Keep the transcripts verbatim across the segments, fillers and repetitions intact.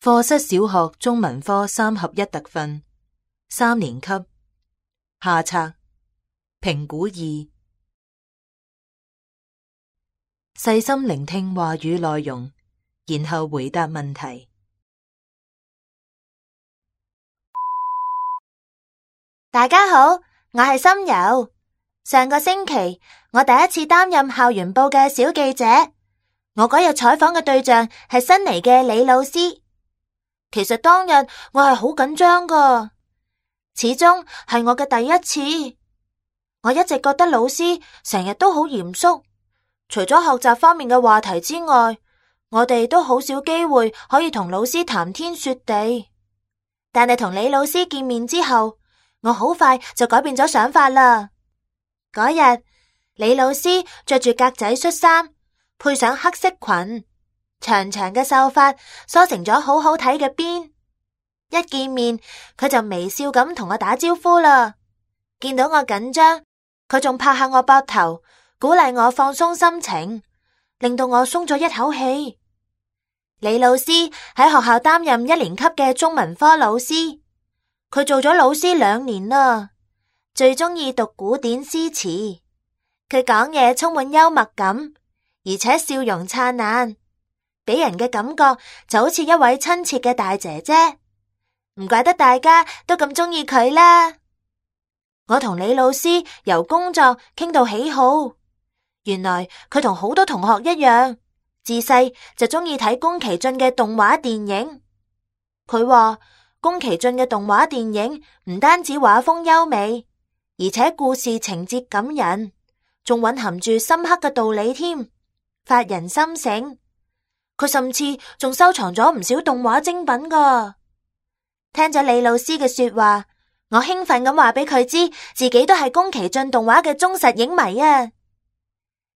課室小學中文科三合一特訓，三年級，下冊，評估二，細心聆聽話語內容，然後回答問題。大家好，我係心柔。上個星期，我第一次擔任校園報嘅小記者。我嗰日採訪嘅對象係新嚟嘅李老師。其實當日我係好緊張噶，始終係我嘅第一次。我一直覺得老師成日都好嚴肅，除咗學習方面嘅話題之外，我哋都好少機會可以同老師談天說地。但係同李老師見面之後，我好快就改變咗想法啦。嗰日，李老師着住格仔恤衫，配上黑色裙，長長嘅秀髮梳成咗好好睇嘅辮。一見面，佢就微笑咁同我打招呼啦。見到我緊張，佢仲拍下我膊頭，鼓勵我放鬆心情，令到我鬆咗一口氣。李老師喺學校擔任一年級嘅中文科老師，佢做咗老師兩年啦，最中意讀古典詩詞。佢講嘢充滿幽默感，而且笑容燦爛，俾人嘅感覺就好似一位親切嘅大姐姐。唔怪得大家都咁中意佢啦。我同李老師由工作傾到喜好，原來佢同好多同學一樣，自細就中意睇宮崎駿嘅動畫電影。佢話宮崎駿嘅動畫電影唔單止畫風優美，而且故事情節感人，仲蘊含住深刻嘅道理添，發人心醒。佢甚至仲收藏咗唔少動畫精品噶。聽咗李老師嘅說話，我興奮咁話俾佢知，自己都係宮崎駿動畫嘅忠實影迷啊！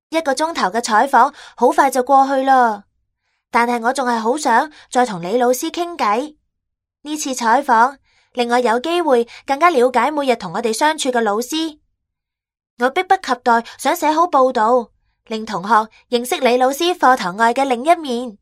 一個鐘頭嘅採訪好快就過去啦，但係我仲係好想再同李老師傾偈。呢次採訪令我有機會更加了解每日同我哋相處嘅老師。我迫不及待想寫好報道，令同學認識李老師課堂外嘅另一面。